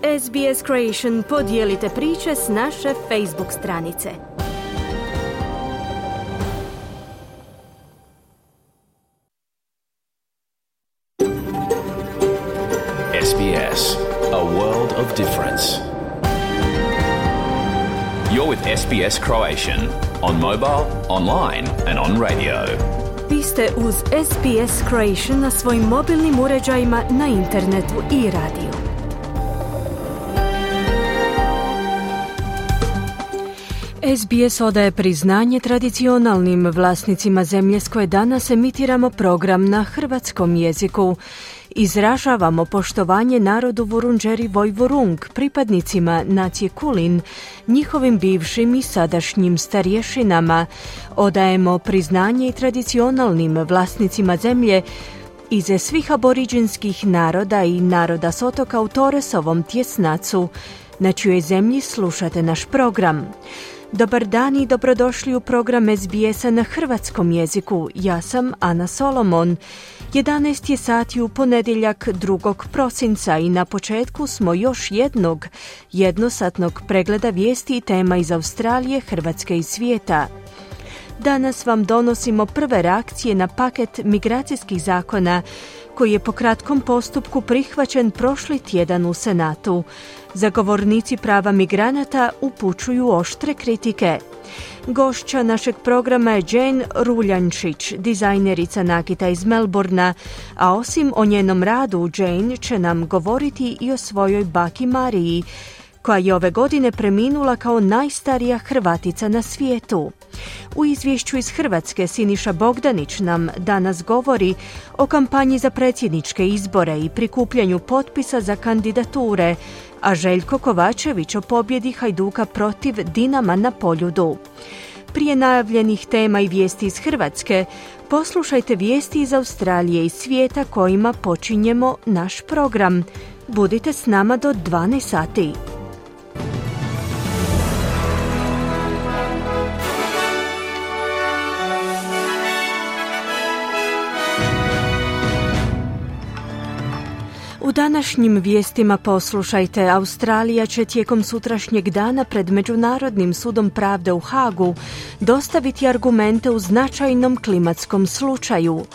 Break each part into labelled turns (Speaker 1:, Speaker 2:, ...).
Speaker 1: SBS Creation podijelite priče s naše Facebook stranice.
Speaker 2: SBS, a world of difference. You're with SBS Croatian on mobile, online and on radio.
Speaker 1: Vi ste uz SBS Croatian na svojim mobilnim uređajima, na internetu i radiju. SBS odaje priznanje tradicionalnim vlasnicima zemlje s koje danas emitiramo program na hrvatskom jeziku. Izražavamo poštovanje narodu Vurundjeri Woi-wurrung, pripadnicima nacije Kulin, njihovim bivšim i sadašnjim starješinama. Odajemo priznanje i tradicionalnim vlasnicima zemlje iz svih aboriđinskih naroda i naroda s otoka u Torresovom tjesnacu, na čijoj zemlji slušate naš program. Dobar dan i dobrodošli u program SBS-a na hrvatskom jeziku. Ja sam Ana Solomon. 11 je sati u ponedjeljak 2. prosinca i na početku smo još jednog jednosatnog pregleda vijesti i tema iz Australije, Hrvatske i svijeta. Danas vam donosimo prve reakcije na paket migracijskih zakona koji je po kratkom postupku prihvaćen prošli tjedan u Senatu. Zagovornici prava migranata upućuju oštre kritike. Gošća našeg programa je Jane Ruljančić, dizajnerica nakita iz Melbourna, a osim o njenom radu, Jane će nam govoriti i o svojoj baki Mariji, koja je ove godine preminula kao najstarija Hrvatica na svijetu. U izvješću iz Hrvatske Siniša Bogdanić nam danas govori o kampanji za predsjedničke izbore i prikupljanju potpisa za kandidature, a Željko Kovačević o pobjedi Hajduka protiv Dinama na Poljudu. Prije najavljenih tema i vijesti iz Hrvatske, poslušajte vijesti iz Australije i svijeta kojima počinjemo naš program. Budite s nama do 12 sati. U današnjim vijestima poslušajte, Australija će tijekom sutrašnjeg dana pred Međunarodnim sudom pravde u Hagu dostaviti argumente u značajnom klimatskom slučaju.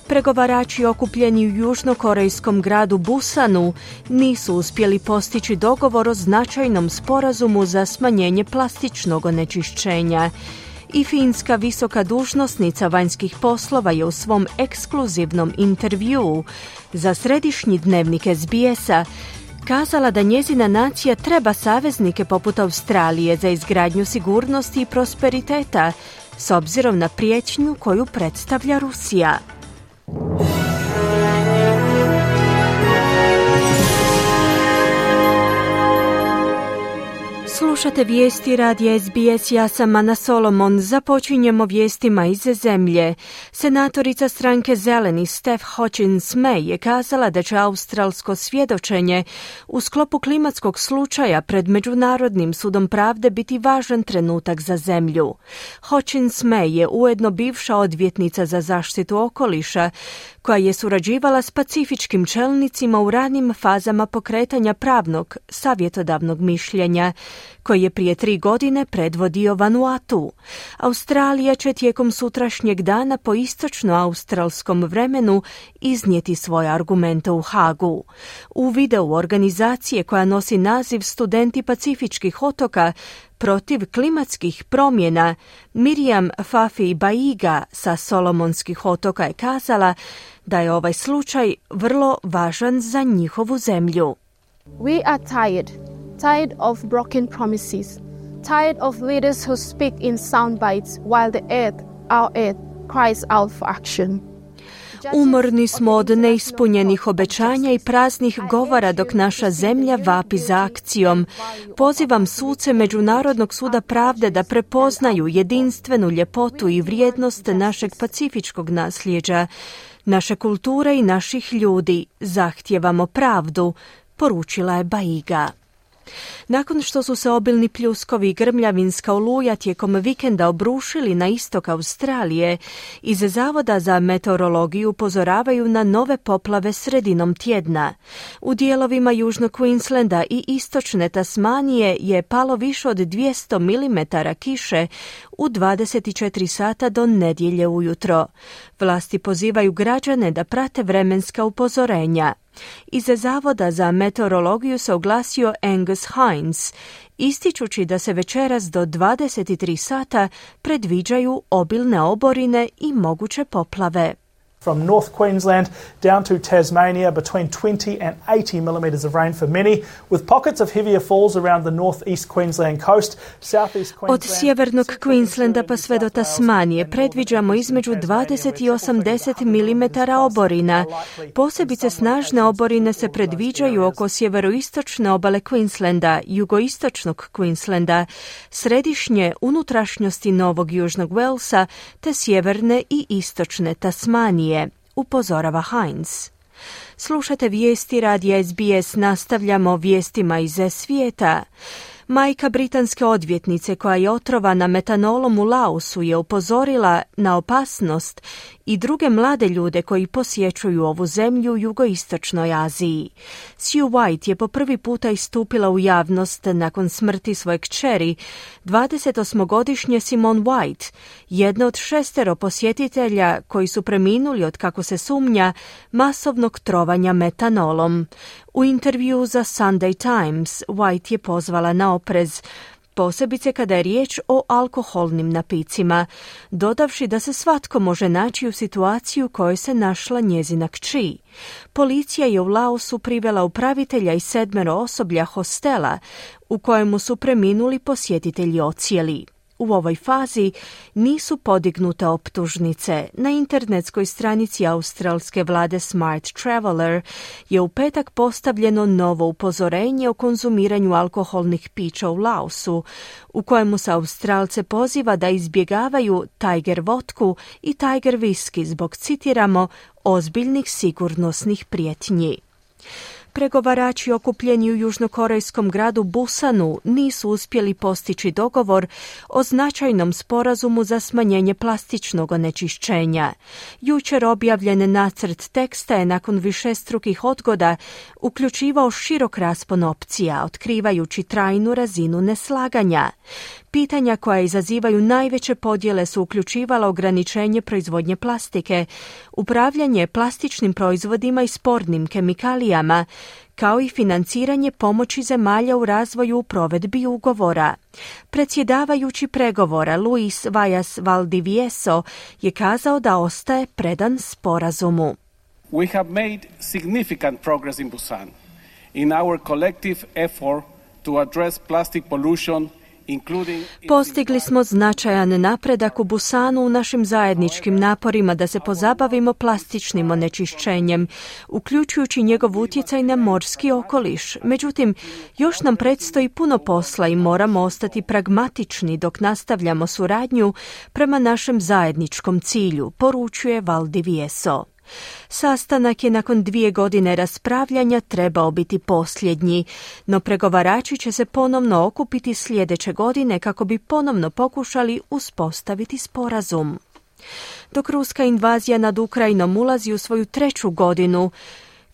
Speaker 1: Pregovarači okupljeni u južnokorejskom gradu Busanu nisu uspjeli postići dogovor o značajnom sporazumu za smanjenje plastičnog onečišćenja. I finska visoka dužnosnica vanjskih poslova je u svom ekskluzivnom intervjuu za središnji dnevnik SBS-a kazala da njezina nacija treba saveznike poput Australije za izgradnju sigurnosti i prosperiteta s obzirom na prijetnju koju predstavlja Rusija. Slušate vijesti radija SBS, ja sam Ana Solomon. Započinjemo vijestima iz zemlje. Senatorica stranke Zeleni Steph Hutchins-May je kazala da će australsko svjedočenje u sklopu klimatskog slučaja pred Međunarodnim sudom pravde biti važan trenutak za zemlju. Hutchins-May je ujedno bivša odvjetnica za zaštitu okoliša koja je surađivala s pacifičkim čelnicima u ranim fazama pokretanja pravnog savjetodavnog mišljenja, koji je prije 3 godine predvodio Vanuatu. Australija će tijekom sutrašnjeg dana po istočno-australskom vremenu iznijeti svoje argumente u Hagu. U videu organizacije koja nosi naziv Studenti pacifičkih otoka protiv klimatskih promjena, Miriam Fafi Baiga sa Solomonskih otoka je kazala da je ovaj slučaj vrlo važan za njihovu zemlju.
Speaker 3: We are tired of broken promises, tired of leaders who speak in soundbites while our earth cries out for action.
Speaker 1: Umorni smo od neispunjenih obećanja i praznih govora dok naša zemlja vapi za akcijom. Pozivam suce Međunarodnog suda pravde da prepoznaju jedinstvenu ljepotu i vrijednost našeg pacifičkog nasljeđa, naše kulture i naših ljudi. Zahtijevamo pravdu, poručila je Baiga. Nakon što su se obilni pljuskovi i grmljavinska oluja tijekom vikenda obrušili na istok Australije, iz Zavoda za meteorologiju upozoravaju na nove poplave sredinom tjedna. U dijelovima južnog Queenslanda i istočne Tasmanije je palo više od 200 mm kiše u 24 sata do nedjelje ujutro. Vlasti pozivaju građane da prate vremenska upozorenja. Iz Zavoda za meteorologiju se oglasio Angus Hines, ističući da se večeras do 23 sata predviđaju obilne oborine i moguće poplave.
Speaker 4: From North Queensland down to Tasmania, between 20 and 80 millimetres of rain for many, with pockets of heavier falls around the northeast Queensland coast, southeast Queensland.
Speaker 1: Od sjevernog Queenslanda pa sve do Tasmanije predviđamo između 20 i 80 mm oborina. Posebice snažne oborine se predviđaju oko sjeveroistočne obale Queenslanda, jugoistočnog Queenslanda, središnje unutrašnjosti Novog Južnog Walesa te sjeverne i istočne Tasmanije, upozorava Hines. Slušate vijesti radija SBS, nastavljamo vijestima iz svijeta. Majka britanske odvjetnice koja je otrovana metanolom u Laosu je upozorila na opasnost i druge mlade ljude koji posjećuju ovu zemlju u jugoistočnoj Aziji. Sue White je po prvi puta istupila u javnost nakon smrti svoje kćeri, 28-godišnje Simone White, jedna od 6 posjetitelja koji su preminuli od, kako se sumnja, masovnog trovanja metanolom. U intervju za Sunday Times White je pozvala na oprez, posebice kada je riječ o alkoholnim napicima, dodavši da se svatko može naći u situaciju u kojoj se našla njezina kći. Policija je u Laosu privela upravitelja i 7 osoblja hostela u kojemu su preminuli posjetitelji ocijeli. U ovoj fazi nisu podignute optužnice. Na internetskoj stranici australske vlade Smart Traveller je u petak postavljeno novo upozorenje o konzumiranju alkoholnih pića u Laosu, u kojemu se Australce poziva da izbjegavaju Tiger vodku i Tiger whisky zbog, citiramo, ozbiljnih sigurnosnih prijetnji. Pregovarači okupljeni u južnokorejskom gradu Busanu nisu uspjeli postići dogovor o značajnom sporazumu za smanjenje plastičnog onečišćenja. Jučer objavljen nacrt teksta je nakon višestrukih odgoda uključivao širok raspon opcija, otkrivajući trajnu razinu neslaganja. Pitanja koja izazivaju najveće podjele su uključivala ograničenje proizvodnje plastike, upravljanje plastičnim proizvodima i spornim kemikalijama, kao i financiranje pomoći zemalja u razvoju u provedbi ugovora. Predsjedavajući pregovora Luis Vallas Valdivieso je kazao da ostaje predan sporazumu.
Speaker 5: We have made significant progress in Busan in our collective effort to address plastic pollution.
Speaker 1: Postigli smo značajan napredak u Busanu u našim zajedničkim naporima da se pozabavimo plastičnim onečišćenjem, uključujući njegov utjecaj na morski okoliš. Međutim, još nam predstoji puno posla i moramo ostati pragmatični dok nastavljamo suradnju prema našem zajedničkom cilju, poručuje Valdivieso. Sastanak je nakon 2 godine raspravljanja trebao biti posljednji, no pregovarači će se ponovno okupiti sljedeće godine kako bi ponovno pokušali uspostaviti sporazum. Dok ruska invazija nad Ukrajinom ulazi u svoju 3. godinu,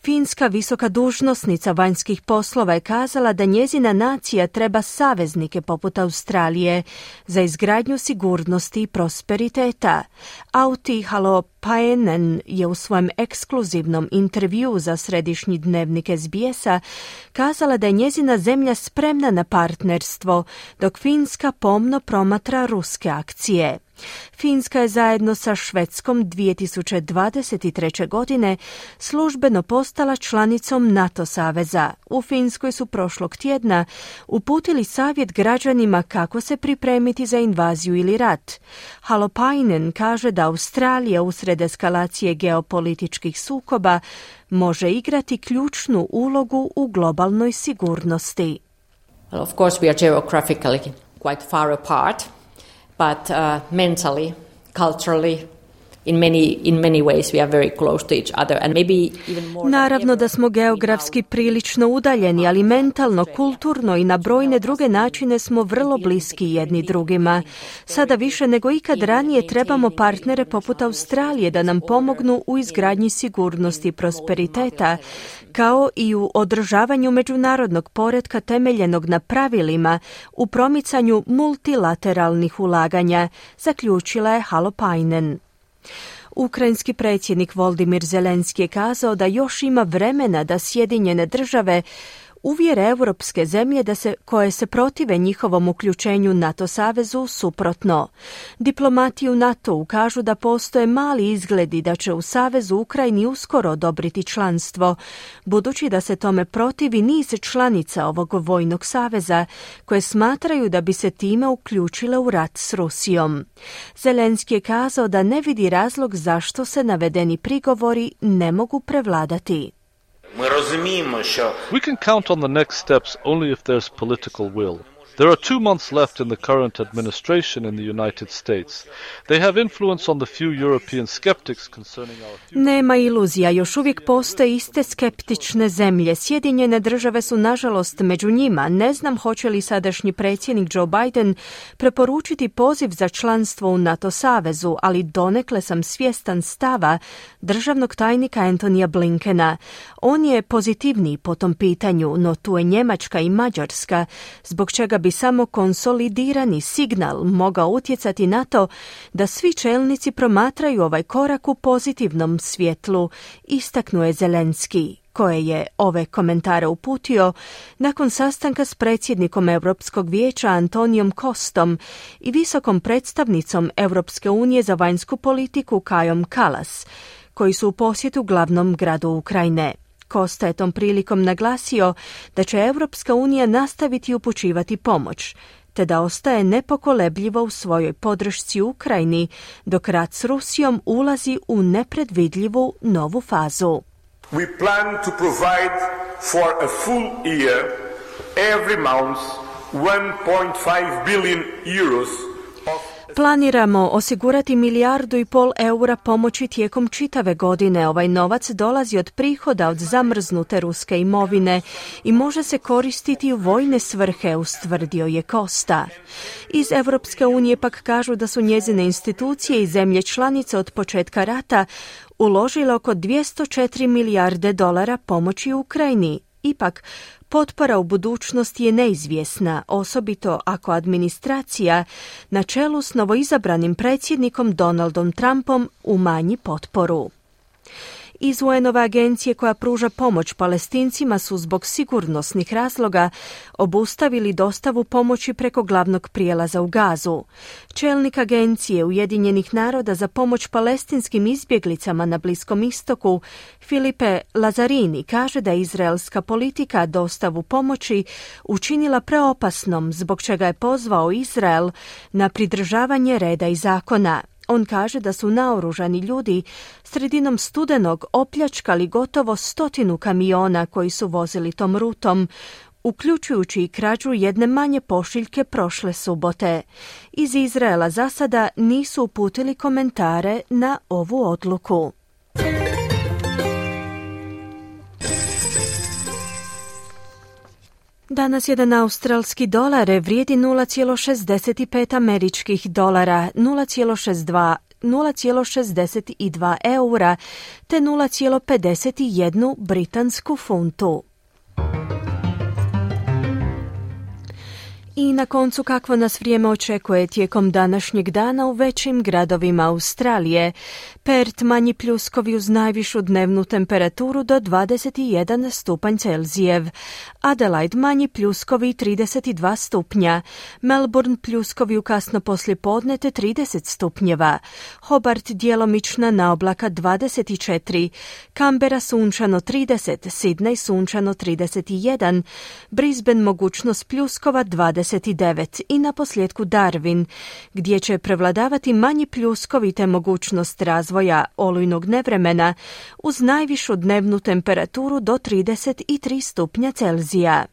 Speaker 1: finska visoka dužnosnica vanjskih poslova je kazala da njezina nacija treba saveznike poput Australije za izgradnju sigurnosti i prosperiteta. Auti Halopainen je u svojem ekskluzivnom intervjuu za središnji dnevnik SBS-a kazala da je njezina zemlja spremna na partnerstvo, dok Finska pomno promatra ruske akcije. Finska je zajedno sa Švedskom 2023. godine službeno postala članicom NATO saveza. U Finskoj su prošlog tjedna uputili savjet građanima kako se pripremiti za invaziju ili rat. Halopainen kaže da Australija usred eskalacije geopolitičkih sukoba može igrati ključnu ulogu u globalnoj sigurnosti.
Speaker 6: Well, of course we are geographically quite far apart. But mentally, culturally, in many ways we are very close to each other and maybe even more.
Speaker 1: Naravno da smo geografski prilično udaljeni, ali mentalno, kulturno i na brojne druge načine smo vrlo bliski jedni drugima. Sada više nego ikad ranije trebamo partnere poput Australije da nam pomognu u izgradnji sigurnosti i prosperiteta, kao i u održavanju međunarodnog poretka temeljenog na pravilima u promicanju multilateralnih ulaganja, zaključila je Halopainen. Ukrajinski predsjednik Volodymyr Zelenski je kazao da još ima vremena da Sjedinjene države uvjere europske zemlje koje se protive njihovom uključenju NATO savezu suprotno. Diplomati u NATO-u kažu da postoje mali izgledi da će u savezu Ukrajini uskoro odobriti članstvo, budući da se tome protivi niz članica ovog vojnog saveza, koje smatraju da bi se time uključile u rat s Rusijom. Zelenski je kazao da ne vidi razlog zašto se navedeni prigovori ne mogu prevladati.
Speaker 7: We can count on the next steps only if there's political will. There are 2 months left in the current administration in the United States. They have influence on the few European skeptics concerning our future.
Speaker 1: Nema iluzija, još uvijek postoje iste skeptične zemlje. Sjedinjene države su nažalost među njima. Ne znam hoće li sadašnji predsjednik Joe Biden preporučiti poziv za članstvo u NATO savezu, ali donekle sam svjestan stava državnog tajnika Antonija Blinkena. On je pozitivniji po tom pitanju, no tu je Njemačka i Mađarska, zbog čega bi samo konsolidirani signal mogao utjecati na to da svi čelnici promatraju ovaj korak u pozitivnom svjetlu, istaknuo je Zelenski, koje je ove komentare uputio nakon sastanka s predsjednikom Europskog vijeća Antonijom Kostom i visokom predstavnicom Europske unije za vanjsku politiku Kajom Kallas, koji su u posjetu glavnom gradu Ukrajine. Kosta je tom prilikom naglasio da će Europska unija nastaviti upućivati pomoć, te da ostaje nepokolebljivo u svojoj podršci Ukrajini, dok rat s Rusijom ulazi u nepredvidljivu novu fazu.
Speaker 8: We plan to provide for a full year, every month, 1.5 billion euros of
Speaker 1: Planiramo osigurati 1,5 milijardu eura pomoći tijekom čitave godine. Ovaj novac dolazi od prihoda od zamrznute ruske imovine i može se koristiti u vojne svrhe, ustvrdio je Kosta. Iz Europske unije pak kažu da su njezine institucije i zemlje članice od početka rata uložile oko 204 milijarde dolara pomoći Ukrajini. Ipak, potpora u budućnosti je neizvjesna, osobito ako administracija na čelu s novoizabranim predsjednikom Donaldom Trumpom umanji potporu. Iz UN-ove agencije koja pruža pomoć Palestincima su zbog sigurnosnih razloga obustavili dostavu pomoći preko glavnog prijelaza u Gazu. Čelnik agencije Ujedinjenih naroda za pomoć palestinskim izbjeglicama na Bliskom istoku, Filipe Lazzarini, kaže da je izraelska politika dostavu pomoći učinila preopasnom, zbog čega je pozvao Izrael na pridržavanje reda i zakona. On kaže da su naoružani ljudi sredinom studenog opljačkali gotovo 100 kamiona koji su vozili tom rutom, uključujući i krađu jedne manje pošiljke prošle subote. Iz Izraela za sada nisu uputili komentare na ovu odluku. Danas jedan australski dolar vrijedi 0,65 američkih dolara, 0,62 eura te 0,51 britansku funtu. I na koncu kakvo nas vrijeme očekuje tijekom današnjeg dana u većim gradovima Australije. Perth manji pljuskovi uz najvišu dnevnu temperaturu do 21 stupanj Celzijev. Adelaide manji pljuskovi 32 stupnja. Melbourne pljuskovi u kasno poslijepodne te 30 stupnjeva. Hobart djelomična naoblaka 24. Canberra sunčano 30. Sydney sunčano 31. Brisbane mogućnost pljuskova 29. I na posljedku Darwin, gdje će prevladavati manji pljuskovi te mogućnost razvoja olujnog nevremena uz najvišu dnevnu temperaturu do 33 stupnja Celzija.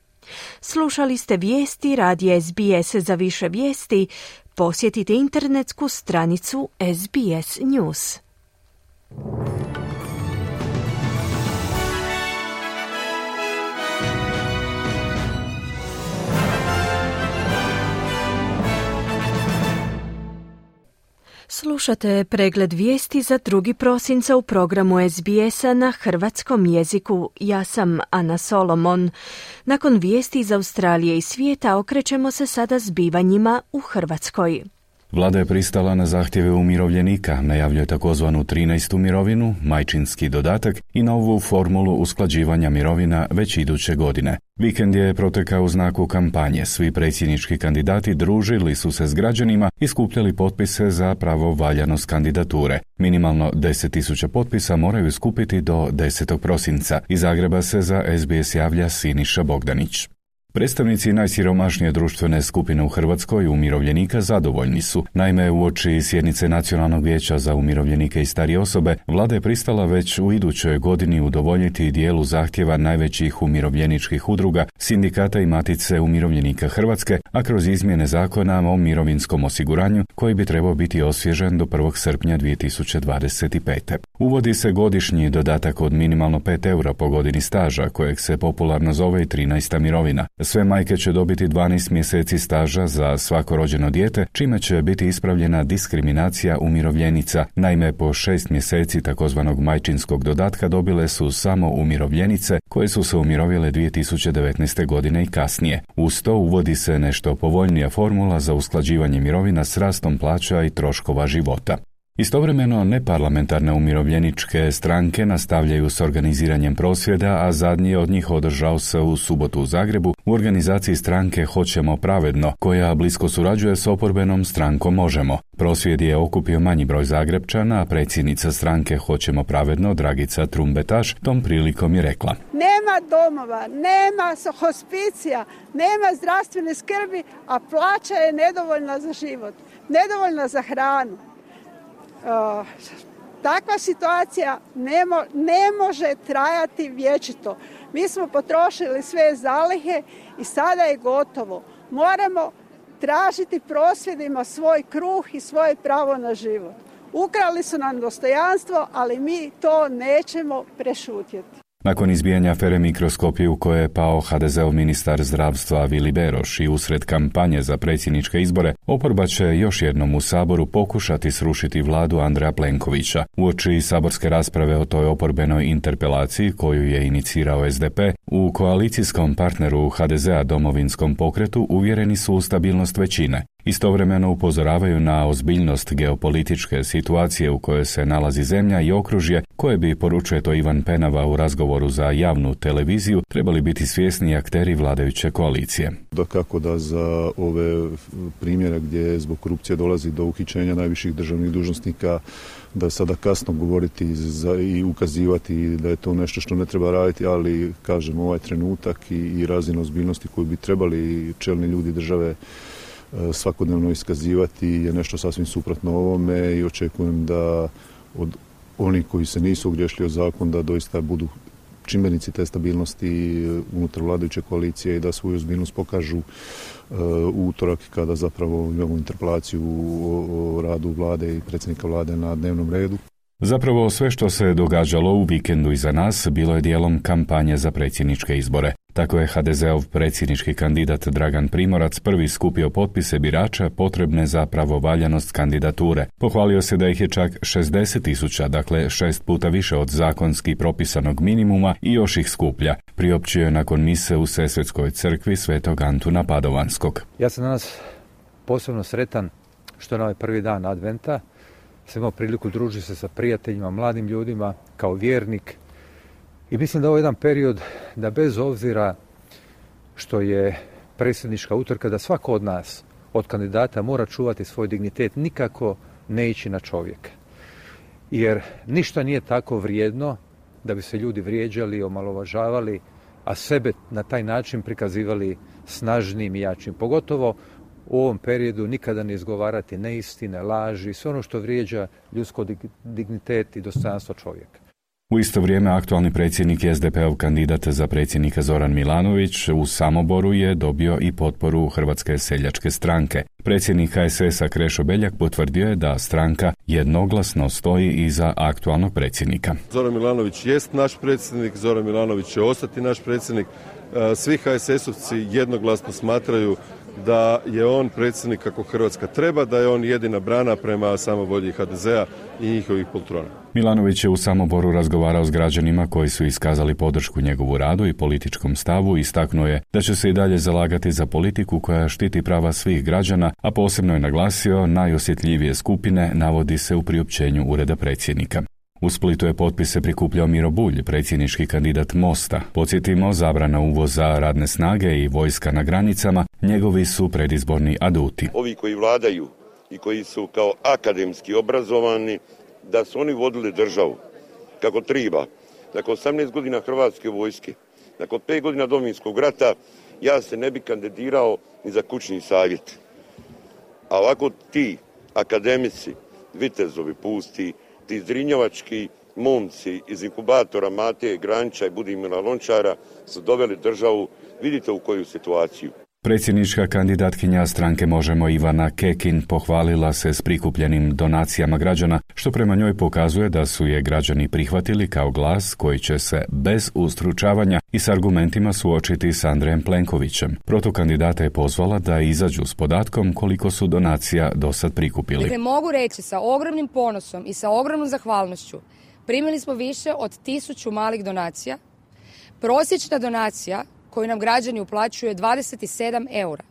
Speaker 1: Slušali ste vijesti radija SBS. Za više vijesti posjetite internetsku stranicu SBS News. Slušate pregled vijesti za 2. prosinca u programu SBS-a na hrvatskom jeziku. Ja sam Ana Solomon. Nakon vijesti iz Australije i svijeta okrećemo se sada zbivanjima u Hrvatskoj.
Speaker 9: Vlada je pristala na zahtjeve umirovljenika, najavljuje takozvanu 13. mirovinu, majčinski dodatak i novu formulu usklađivanja mirovina već iduće godine. Vikend je protekao u znaku kampanje. Svi predsjednički kandidati družili su se s građanima i skupljali potpise za pravovaljanost kandidature. Minimalno 10.000 potpisa moraju skupiti do 10. prosinca. Iz Zagreba se za SBS javlja Siniša Bogdanić. Predstavnici najsiromašnije društvene skupine u Hrvatskoj, umirovljenika, zadovoljni su. Naime, uoči sjednice Nacionalnog vijeća za umirovljenike i starije osobe, Vlada je pristala već u idućoj godini udovoljiti dijelu zahtjeva najvećih umirovljeničkih udruga, sindikata i Matice umirovljenika Hrvatske, a kroz izmjene zakona o mirovinskom osiguranju, koji bi trebao biti osvježen do 1. srpnja 2025. Uvodi se godišnji dodatak od minimalno 5 eura po godini staža, kojeg se popularno zove i 13. mirovina. Sve majke će dobiti 12 mjeseci staža za svako rođeno dijete, čime će biti ispravljena diskriminacija umirovljenica. Naime, po 6 mjeseci takozvanog majčinskog dodatka dobile su samo umirovljenice koje su se umirovile 2019. godine i kasnije. Uz to uvodi se nešto povoljnija formula za usklađivanje mirovina s rastom plaća i troškova života. Istovremeno, neparlamentarne umirovljeničke stranke nastavljaju s organiziranjem prosvjeda, a zadnji od njih održao se u subotu u Zagrebu u organizaciji stranke Hoćemo pravedno, koja blisko surađuje s oporbenom strankom Možemo. Prosvjed je okupio manji broj Zagrebčana, a predsjednica stranke Hoćemo pravedno, Dragica Trumbetaš, tom prilikom je rekla:
Speaker 10: Nema domova, nema hospicija, nema zdravstvene skrbi, a plaća je nedovoljna za život, nedovoljna za hranu. Takva situacija ne može trajati vječito. Mi smo potrošili sve zalihe i sada je gotovo. Moramo tražiti prosvjedima svoj kruh i svoje pravo na život. Ukrali su nam dostojanstvo, ali mi to nećemo prešutjeti.
Speaker 9: Nakon izbijanja afere Mikroskopi u kojoj je pao HDZ-ov ministar zdravstva Vili Beroš i usred kampanje za predsjedničke izbore, oporba će još jednom u Saboru pokušati srušiti vladu Andreja Plenkovića. Uoči saborske rasprave o toj oporbenoj interpelaciji koju je inicirao SDP, u koalicijskom partneru HDZ-a Domovinskom pokretu uvjereni su u stabilnost većine. Istovremeno upozoravaju na ozbiljnost geopolitičke situacije u kojoj se nalazi zemlja i okružje koje bi, poručuje to Ivan Penava u razgovoru za javnu televiziju, trebali biti svjesni akteri vladajuće koalicije.
Speaker 11: Dakako da za ove primjere gdje zbog korupcije dolazi do uhićenja najviših državnih dužnosnika, da je sada kasno govoriti i ukazivati da je to nešto što ne treba raditi, ali kažem, ovaj trenutak i razina ozbiljnosti koju bi trebali čelni ljudi države svakodnevno iskazivati je nešto sasvim suprotno ovome i očekujem da od onih koji se nisu ogriješili o zakon da doista budu čimbenici te stabilnosti unutar vladajuće koalicije i da svoju ozbiljnost pokažu u utorak kada zapravo imamo interpelaciju o radu vlade i predsjednika vlade na dnevnom redu.
Speaker 9: Zapravo sve što se događalo u vikendu iza nas bilo je dijelom kampanje za predsjedničke izbore. Tako je HDZ-ov predsjednički kandidat Dragan Primorac prvi skupio potpise birača potrebne za pravovaljanost kandidature. Pohvalio se da ih je čak 60.000, dakle 6 puta više od zakonski propisanog minimuma i još ih skuplja. Priopćio je nakon mise u Sesvetskoj crkvi Svetog Antuna Padovanskog.
Speaker 12: Ja sam danas posebno sretan što na ovaj prvi dan Adventa sam imao priliku družiti se sa prijateljima, mladim ljudima, kao vjernik. I mislim da ovo je jedan period da bez obzira što je predsjednička utrka, da svako od nas, od kandidata, mora čuvati svoj dignitet, nikako ne ići na čovjeka. Jer ništa nije tako vrijedno da bi se ljudi vrijeđali, omalovažavali, a sebe na taj način prikazivali snažnim i jačim. Pogotovo u ovom periodu nikada ne izgovarati neistine, laži, sve ono što vrijeđa ljudsko dignitet i dostojanstvo čovjeka.
Speaker 9: U isto vrijeme aktualni predsjednik i SDP-ov kandidat za predsjednika Zoran Milanović u Samoboru je dobio i potporu Hrvatske seljačke stranke. Predsjednik HSS-a Krešo Beljak potvrdio je da stranka jednoglasno stoji iza aktualnog predsjednika.
Speaker 13: Zoran Milanović jest naš predsjednik, Zoran Milanović će ostati naš predsjednik. Svi HSS-ovci jednoglasno smatraju da je on predsjednik kako Hrvatska treba, da je on jedina brana prema samovolji HDZ-a i njihovih poltrona.
Speaker 9: Milanović je u Samoboru razgovarao s građanima koji su iskazali podršku njegovu radu i političkom stavu i istaknuo je da će se i dalje zalagati za politiku koja štiti prava svih građana, a posebno je naglasio najosjetljivije skupine, navodi se u priopćenju Ureda predsjednika. U Splitu je potpise prikupljao Miro Bulj, predsjednički kandidat Mosta. Podsjetimo, zabrana uvoza radne snage i vojska na granicama, njegovi su predizborni aduti.
Speaker 14: Ovi koji vladaju i koji su kao akademski obrazovani, da su oni vodili državu kako treba. Nakon 18 godina Hrvatske vojske, nakon 5 godina Domovinskog rata, ja se ne bi kandidirao ni za kućni savjet. A ovako ti akademici, vitezovi pusti, ti zrinjovački momci iz inkubatora Mateje Granića i Budimira Lončara su doveli državu, vidite u koju situaciju.
Speaker 9: Predsjednička kandidatkinja stranke Možemo Ivana Kekin pohvalila se s prikupljenim donacijama građana, što prema njoj pokazuje da su je građani prihvatili kao glas koji će se bez ustručavanja i s argumentima suočiti s Andrejem Plenkovićem. Protukandidata je pozvala da izađu s podatkom koliko su donacija do sad prikupili.
Speaker 15: Dakle, mogu reći sa ogromnim ponosom i sa ogromnom zahvalnošću, primili smo više od 1000 malih donacija. Prosječna donacija koju nam građani uplaćuju je 27 eura.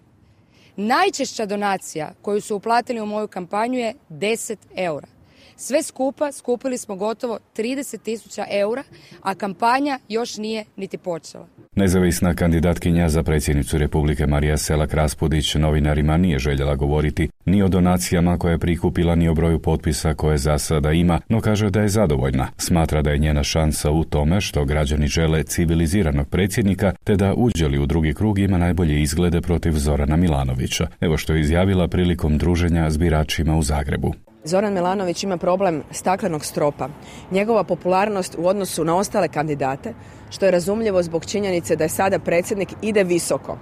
Speaker 15: Najčešća donacija koju su uplatili u moju kampanju je 10 eura. Sve skupa skupili smo gotovo 30.000 eura, a kampanja još nije niti počela.
Speaker 9: Nezavisna kandidatkinja za predsjednicu Republike Marija Selak Raspudić novinarima nije željela govoriti ni o donacijama koje je prikupila, ni o broju potpisa koje za sada ima, no kaže da je zadovoljna. Smatra da je njena šansa u tome što građani žele civiliziranog predsjednika, te da uđe li u drugi krug ima najbolje izglede protiv Zorana Milanovića. Evo što je izjavila prilikom druženja s biračima u Zagrebu.
Speaker 16: Zoran Milanović ima problem staklenog stropa. Njegova popularnost u odnosu na ostale kandidate, što je razumljivo zbog činjenice da je sada predsjednik, ide visoko.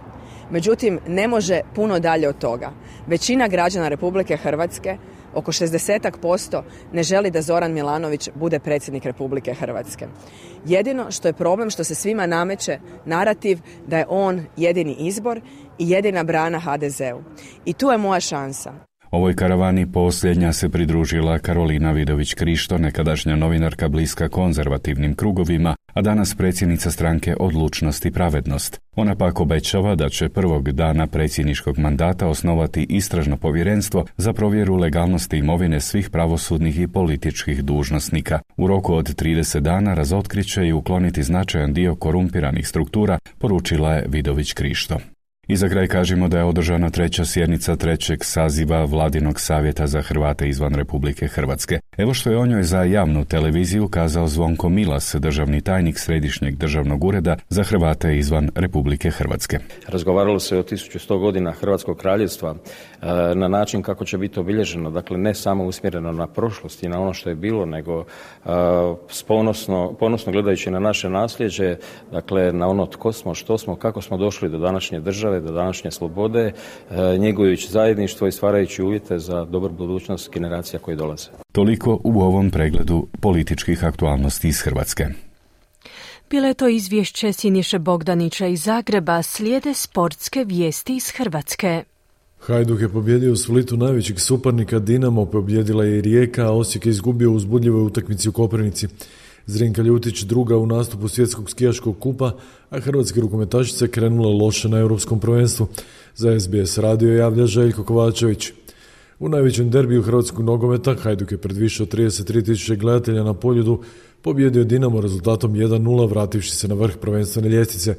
Speaker 16: Međutim, ne može puno dalje od toga. Većina građana Republike Hrvatske, oko 60% ne želi da Zoran Milanović bude predsjednik Republike Hrvatske. Jedino što je problem što se svima nameće narativ da je on jedini izbor i jedina brana HDZ-u. I tu je moja šansa.
Speaker 9: Ovoj karavani posljednja se pridružila Karolina Vidović Krišto, nekadašnja novinarka bliska konzervativnim krugovima, a danas predsjednica stranke Odlučnost i pravednost. Ona pak obećava da će prvog dana predsjedničkog mandata osnovati istražno povjerenstvo za provjeru legalnosti imovine svih pravosudnih i političkih dužnosnika. U roku od 30 dana razotkriće i ukloniti značajan dio korumpiranih struktura, poručila je Vidović Krišto. I za kraj kažemo da je održana 3. sjednica 3. saziva Vladinog savjeta za Hrvate izvan Republike Hrvatske. Evo što je o njoj za javnu televiziju kazao Zvonko Milas, državni tajnik Središnjeg državnog ureda za Hrvate izvan Republike Hrvatske.
Speaker 17: Razgovaralo se o 1100 godina Hrvatskog kraljevstva na način kako će biti obilježeno, dakle ne samo usmjereno na prošlost i na ono što je bilo, nego ponosno gledajući na naše nasljeđe, dakle na ono tko smo, što smo, kako smo došli do današnje države, do današnje slobode, njegujući zajedništvo i stvarajući uvjete za dobru budućnost generacija koje dolaze.
Speaker 9: Toliko u ovom pregledu političkih aktualnosti iz Hrvatske.
Speaker 1: Bilo je to izvješće Siniše Bogdanića iz Zagreba, slijede sportske vijesti iz Hrvatske.
Speaker 18: Hajduk je pobjedio u Splitu najvećeg suparnika, Dinamo pobjedila je i Rijeka, a Osijek je izgubio u uzbudljivoj utakmici u Koprivnici. Zrinka Ljutić druga u nastupu svjetskog skijaškog kupa, a hrvatske rukometašice krenule loše na europskom prvenstvu. Za SBS radio javlja Željko Kovačević. U najvećem derbiju hrvatskog nogometa Hajduk je pred više od 33.000 gledatelja na Poljudu pobjedio Dinamo rezultatom 1-0, vrativši se na vrh prvenstvene ljestvice.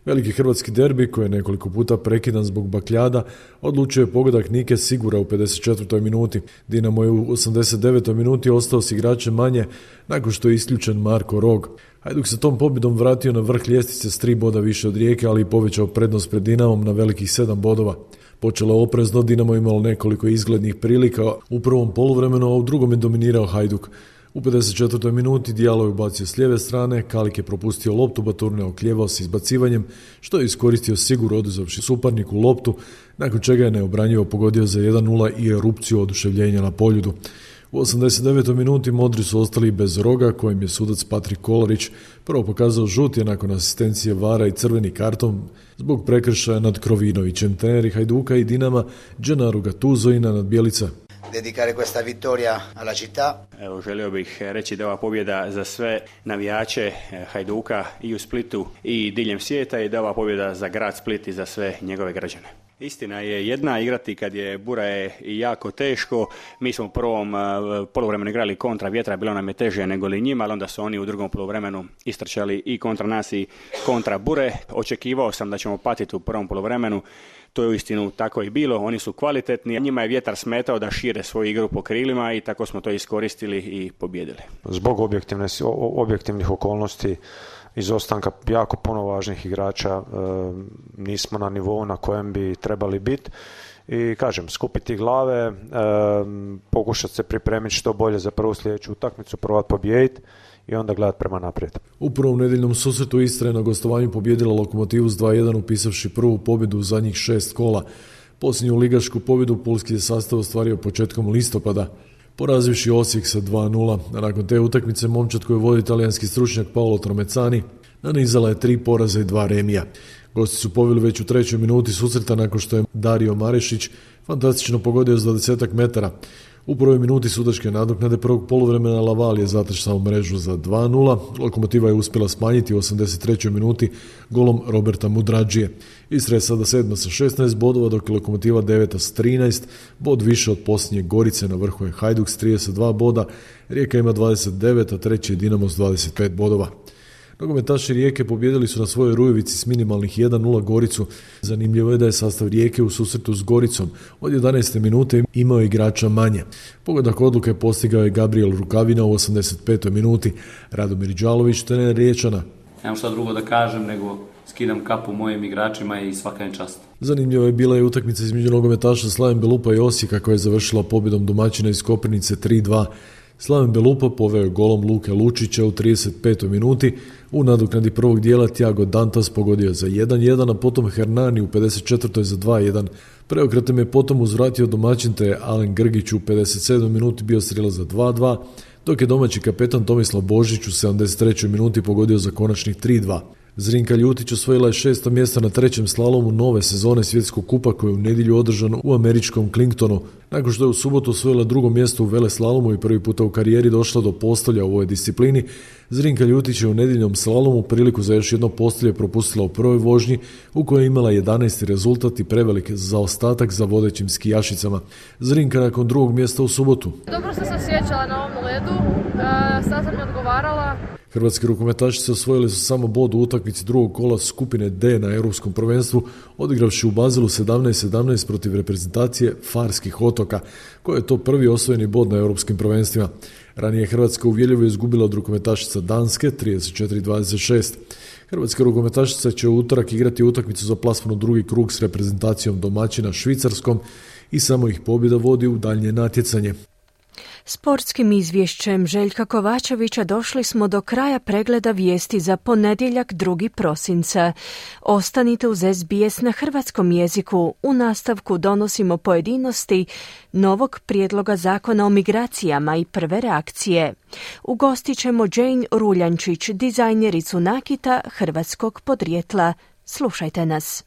Speaker 18: Veliki hrvatski derbi, koji je nekoliko puta prekidan zbog bakljada, odlučio je pogodak Nike Sigura u 54. minuti. Dinamo je u 89. minuti ostao s igračem manje nakon što je isključen Marko Rog. Hajduk se tom pobjedom vratio na vrh ljestvice s 3 boda više od Rijeke, ali i povećao prednost pred Dinamom na velikih 7 bodova. Počelo oprezno, Dinamo imalo nekoliko izglednih prilika u prvom poluvremenu, a u drugom je dominirao Hajduk. U 54. minuti Dijalo je ubacio s lijeve strane, Kalik je propustio loptu, Baturne oklijevao s izbacivanjem, što je iskoristio Sigur oduzavši suparniku loptu, nakon čega je neobranjivo pogodio za 1-0 i erupciju oduševljenja na Poljudu. U 89. minuti Modri su ostali bez roga, kojim je sudac Patrik Kolarić prvo pokazao žuti nakon asistencije VAR-a i crveni karton zbog prekršaja nad Krovinovićem. Treneri Hajduka i Dinama Gennaro Gattuso i Nenad Bjelica.
Speaker 19: Dedicare questa vittoria alla città.
Speaker 20: Evo, želio bih reći da je ova pobjeda za sve navijače Hajduka i u Splitu i diljem svijeta i da je ova pobjeda za grad Split i za sve njegove građane. Istina je jedna, igrati kad je bura je jako teško. Mi smo u prvom poluvremenu igrali kontra vjetra, bilo nam je teže nego li njima, ali onda su oni u drugom poluvremenu istrčali i kontra nas i kontra bure. Očekivao sam da ćemo patiti u prvom poluvremenu. To je uistinu tako i bilo, oni su kvalitetni, njima je vjetar smetao da šire svoju igru po krilima i tako smo to iskoristili i pobjedili.
Speaker 21: Zbog objektivnih okolnosti, izostanka jako puno važnih igrača, nismo na nivou na kojem bi trebali biti i kažem, skupiti glave, pokušati se pripremiti što bolje za prvu sljedeću utakmicu, provat pobijediti i onda gledati prema naprijed.
Speaker 18: U prvom nedjeljnom susretu Istra je na gostovanju pobijedila Lokomotivu s 2-1 upisavši prvu pobjedu u zadnjih 6 kola. Posljednju ligašku pobjedu pulski je sastav ostvario početkom listopada, porazivši Osijek sa 2-0, a nakon te utakmice momčad koju vodi talijanski stručnjak Paolo Tromecani nanizala je 3 poraza i 2 remija. Gosti su poveli već u 3. minuti susreta nakon što je Dario Marešić fantastično pogodio s 20 metara. U prvoj minuti sudačke nadoknade prvog poluvremena Laval je zatrčao mrežu za 2-0. Lokomotiva je uspjela smanjiti u 83. minuti golom Roberta Mudrađije. Istra je sada 7. sa 16 bodova, dok je Lokomotiva 9. s 13, bod više od posljednje Gorice, na vrhu je Hajduk s 32 boda, Rijeka ima 29, a treći je Dinamo s 25 bodova. Nogometaši Rijeke pobijedili su na svojoj Rujevici s minimalnih 1-0 Goricu. Zanimljivo je da je sastav Rijeke u susretu s Goricom od 11. minute imao igrača manje. Pogodak odluke postigao je Gabriel Rukavina u 85. minuti. Radomir Đalović, trener Riječana.
Speaker 22: Nemam šta drugo da kažem nego skidam kapu mojim igračima i svaka je čast.
Speaker 18: Zanimljivo je bila i utakmica između nogometaša Slaven Belupa i Osijeka koja je završila pobjedom domaćina iz Koprivnice 3-2. Slaven Belupa poveo je golom Luke Lučića u 35. minuti. U nadoknadi prvog dijela Thiago Dantas pogodio za 1-1, a potom Hernani u 54. za 2-1. Preokretom je potom uzvratio domaćin, te je Alen Grgić u 57. minuti bio strela za 2-2, dok je domaći kapetan Tomislav Božić u 73. minuti pogodio za konačnih 3-2. Zrinka Ljutić osvojila je 6. mjesto na 3. slalomu nove sezone svjetskog kupa koji je u nedjelju održan u američkom Clintonu. Nakon što je u subotu osvojila 2. mjesto u veleslalomu i prvi puta u karijeri došla do postolja u ovoj disciplini, Zrinka Ljutić je u nedjeljnom slalomu priliku za još jedno postolje propustila u prvoj vožnji u kojoj je imala 11. rezultat i prevelik zaostatak za vodećim skijašicama. Zrinka nakon 2. mjesta u subotu.
Speaker 23: Dobro sam se osjećala na ovom ledu, sad sam mi odgovarala.
Speaker 18: Hrvatski rukometašice osvojili su samo bod u utakmici drugog kola skupine D na Europskom prvenstvu, odigravši u Bazilu 17-17 protiv reprezentacije Farskih otoka, koja je to prvi osvojeni bod na Europskim prvenstvima. Ranije Hrvatska uvjerljivo izgubila od rukometašica Danske 34-26. Hrvatska rukometašica će u utorak igrati utakmicu za plasman u drugi krug s reprezentacijom domaćina Švicarskom i samo ih pobjeda vodi u daljnje natjecanje.
Speaker 1: Sportskim izvješćem Željka Kovačevića došli smo do kraja pregleda vijesti za ponedjeljak 2. prosinca. Ostanite uz SBS na hrvatskom jeziku. U nastavku donosimo pojedinosti novog prijedloga zakona o migracijama i prve reakcije. Ugostit ćemo Jane Ruljančić, dizajnericu nakita hrvatskog podrijetla. Slušajte nas.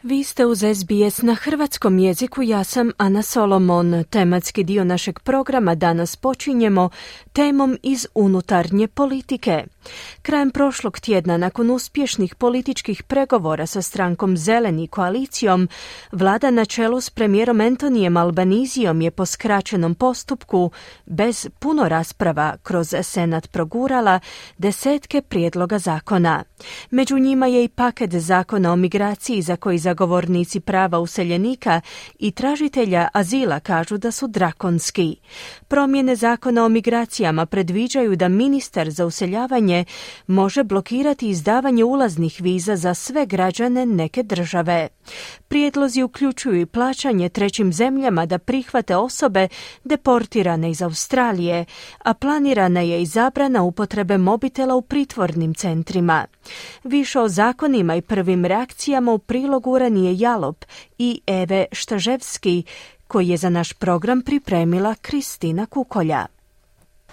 Speaker 1: Vi ste uz SBS na hrvatskom jeziku, ja sam Ana Solomon. Tematski dio našeg programa danas počinjemo temom iz unutarnje politike. Krajem prošlog tjedna, nakon uspješnih političkih pregovora sa strankom Zeleni koalicijom, vlada na čelu s premijerom Antonijem Albanizijom je po skraćenom postupku, bez puno rasprava, kroz Senat progurala desetke prijedloga zakona. Među njima je i paket zakona o migraciji za koji zagovornici prava useljenika i tražitelja azila kažu da su drakonski. Promjene zakona o migracijama predviđaju da ministar za useljavanje može blokirati izdavanje ulaznih viza za sve građane neke države. Prijedlozi uključuju i plaćanje trećim zemljama da prihvate osobe deportirane iz Australije, a planirana je i zabrana upotrebe mobitela u pritvornim centrima. Više o zakonima i prvim reakcijama u prilogu Ranije Jalop i Eve Štaževski, koji je za naš program pripremila Kristina Kukolja.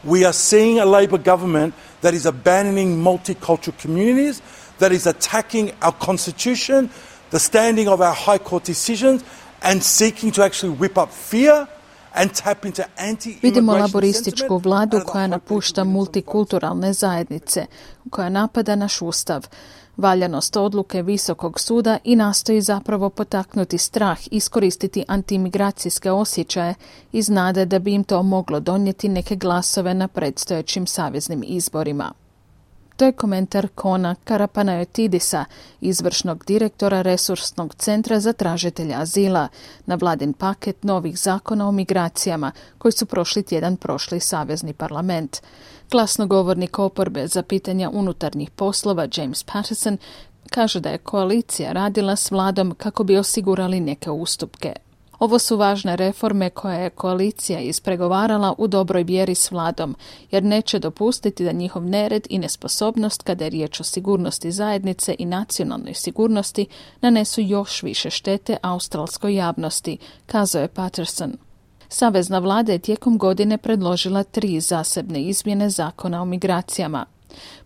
Speaker 2: We are seeing a Labor government that is abandoning multicultural communities, that is attacking our constitution, the standing of our high court decisions and seeking to actually whip up fear and tap into anti-immigration.
Speaker 3: Vidimo laborističku vladu koja napušta multikulturalne zajednice, koja napada naš ustav, valjanost odluke Visokog suda i nastoji zapravo potaknuti strah, iskoristiti antimigracijske osjećaje iz nade da bi im to moglo donijeti neke glasove na predstojećim saveznim izborima. To je komentar Kona Karapanayotidisa, izvršnog direktora Resursnog centra za tražitelja azila, na vladin paket novih zakona o migracijama koji su prošli tjedan prošli savezni parlament. Glasnogovornik oporbe za pitanja unutarnjih poslova James Patterson kaže da je koalicija radila s vladom kako bi osigurali neke ustupke. Ovo su važne reforme koje je koalicija ispregovarala u dobroj vjeri s vladom, jer neće dopustiti da njihov nered i nesposobnost kada je riječ o sigurnosti zajednice i nacionalnoj sigurnosti nanesu još više štete australskoj javnosti, kazao je Patterson. Savezna vlada je tijekom godine predložila 3 zasebne izmjene zakona o migracijama.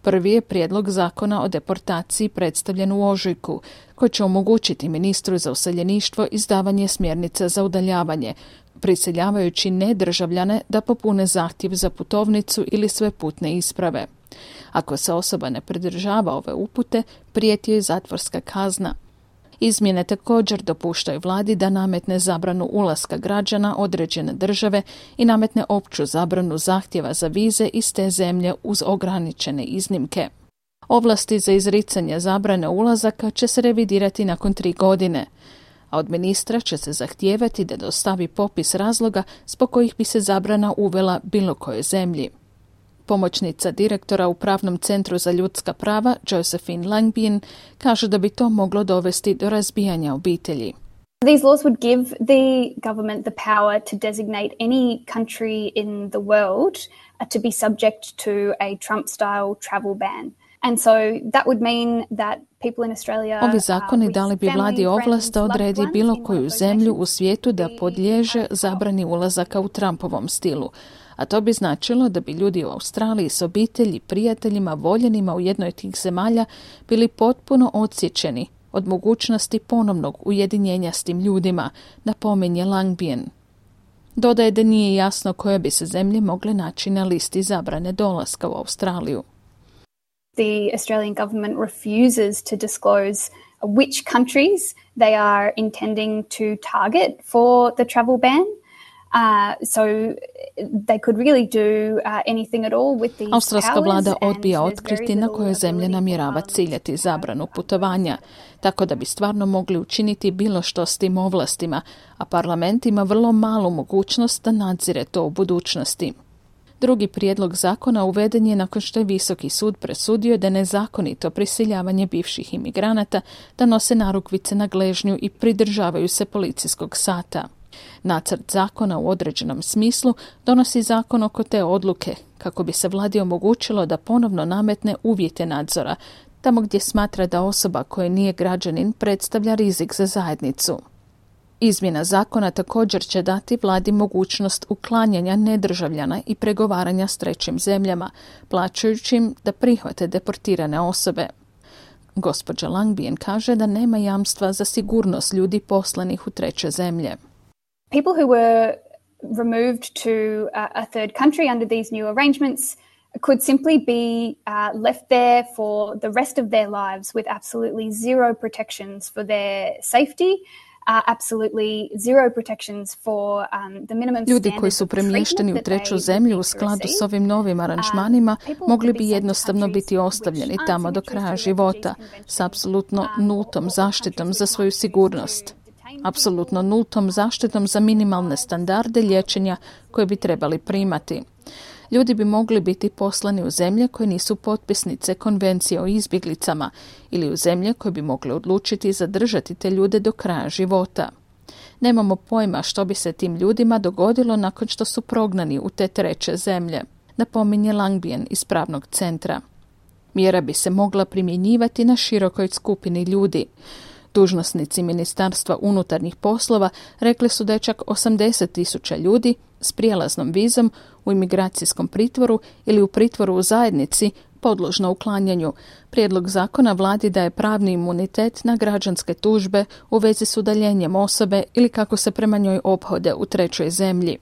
Speaker 3: Prvi je prijedlog zakona o deportaciji predstavljen u ožujku, koji će omogućiti ministru za useljeništvo izdavanje smjernica za udaljavanje, prisiljavajući nedržavljane da popune zahtjev za putovnicu ili sve putne isprave. Ako se osoba ne pridržava ove upute, prijeti joj zatvorska kazna. Izmjene također dopuštaju vladi da nametne zabranu ulaska građana određene države i nametne opću zabranu zahtjeva za vize iz te zemlje uz ograničene iznimke. Ovlasti za izricanje zabrane ulazaka će se revidirati nakon 3 godine, a od ministra će se zahtijevati da dostavi popis razloga zbog kojih bi se zabrana uvela bilo kojoj zemlji. Pomoćnica direktora u Pravnom centru za ljudska prava, Josephine Langbien, kaže da bi to moglo dovesti do razbijanja obitelji.
Speaker 4: These laws would give the government the power to designate any country in the world to be subject to a Trump-style travel ban. And so that would mean that people in Australia...
Speaker 3: Ovi zakoni dali bi vladi ovlast da odredi bilo koju zemlju u svijetu da podliježe zabrani ulazaka u Trumpovom stilu. A to bi značilo da bi ljudi u Australiji s obitelji, prijateljima, voljenima u jednoj od tih zemalja bili potpuno odsječeni od mogućnosti ponovnog ujedinjenja s tim ljudima, napominje Langbien. Dodaje da nije jasno koje bi se zemlje mogle naći na listi zabrane dolaska u Australiju.
Speaker 4: The Australian government refuses to disclose which countries they are intending to target for the travel ban. So they could really do anything at all with these
Speaker 3: Australska vlada
Speaker 4: powers,
Speaker 3: odbija otkriti na koje zemlje namjerava ciljati zabranu putovanja, tako da bi stvarno mogli učiniti bilo što s tim ovlastima, a parlament ima vrlo malu mogućnost da nadzire to u budućnosti. Drugi prijedlog zakona uveden je nakon što je Visoki sud presudio da je nezakonito prisiljavanje bivših imigranata da nose narukvice na gležnju i pridržavaju se policijskog sata. Nacrt zakona u određenom smislu donosi zakon oko te odluke, kako bi se vladi omogućilo da ponovno nametne uvjete nadzora, tamo gdje smatra da osoba koja nije građanin predstavlja rizik za zajednicu. Izmjena zakona također će dati vladi mogućnost uklanjanja nedržavljana i pregovaranja s trećim zemljama, plaćajući im da prihvate deportirane osobe. Gospođa Langbien kaže da nema jamstva za sigurnost ljudi poslanih u treće zemlje.
Speaker 4: People who were removed to a third country under these new arrangements could simply be left there for the rest of their lives with absolutely zero protections for their safety absolutely zero protections for the minimum
Speaker 3: Ljudi koji su premješteni u treću zemlju u skladu s ovim novim aranžmanima mogli bi jednostavno biti ostavljeni tamo do kraja života s apsolutno nultom zaštitom za svoju sigurnost. Apsolutno nultom zaštitom za minimalne standarde liječenja koje bi trebali primati. Ljudi bi mogli biti poslani u zemlje koje nisu potpisnice konvencije o izbjeglicama ili u zemlje koje bi mogli odlučiti zadržati te ljude do kraja života. Nemamo pojma što bi se tim ljudima dogodilo nakon što su prognani u te treće zemlje, napominje Langbien iz pravnog centra. Mjera bi se mogla primjenjivati na širokoj skupini ljudi. Dužnosnici Ministarstva unutarnjih poslova rekli su da je čak 80,000 ljudi s prijelaznom vizom u imigracijskom pritvoru ili u pritvoru u zajednici podložno uklanjanju. Prijedlog zakona vladi daje pravni imunitet na građanske tužbe u vezi s udaljenjem osobe ili kako se prema njoj ophode u trećoj zemlji.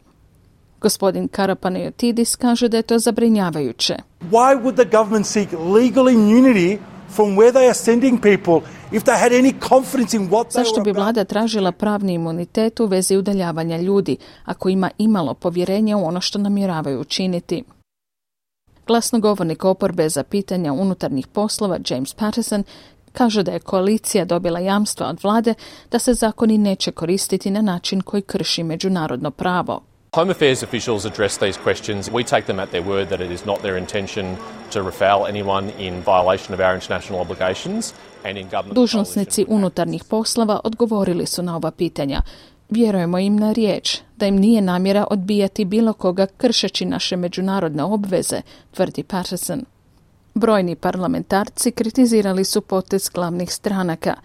Speaker 3: Gospodin Karapanayotidis kaže da je to zabrinjavajuće.
Speaker 2: Why would the government seek legal immunity from where they are sending people if they had any confidence in what they
Speaker 3: Zašto bi
Speaker 2: were
Speaker 3: vlada tražila pravni imunitet u vezi udaljavanja ljudi, ako ima imalo povjerenja u ono što namjeravaju učiniti? Glasnogovornik oporbe za pitanja unutarnjih poslova James Patterson kaže da je koalicija dobila jamstva od vlade da se zakoni neće koristiti na način koji krši međunarodno pravo.
Speaker 5: Home Affairs officials address these questions. We take them at their word that it is not their intention to refoul anyone in violation of our international obligations.
Speaker 3: Dužnosnici unutarnjih poslova odgovorili su na ova pitanja. Vjerujemo im na riječ da im nije namjera odbijati bilo koga kršeći naše međunarodne obveze, tvrdi Patterson. Brojni parlamentarci kritizirali su potez glavnih stranaka.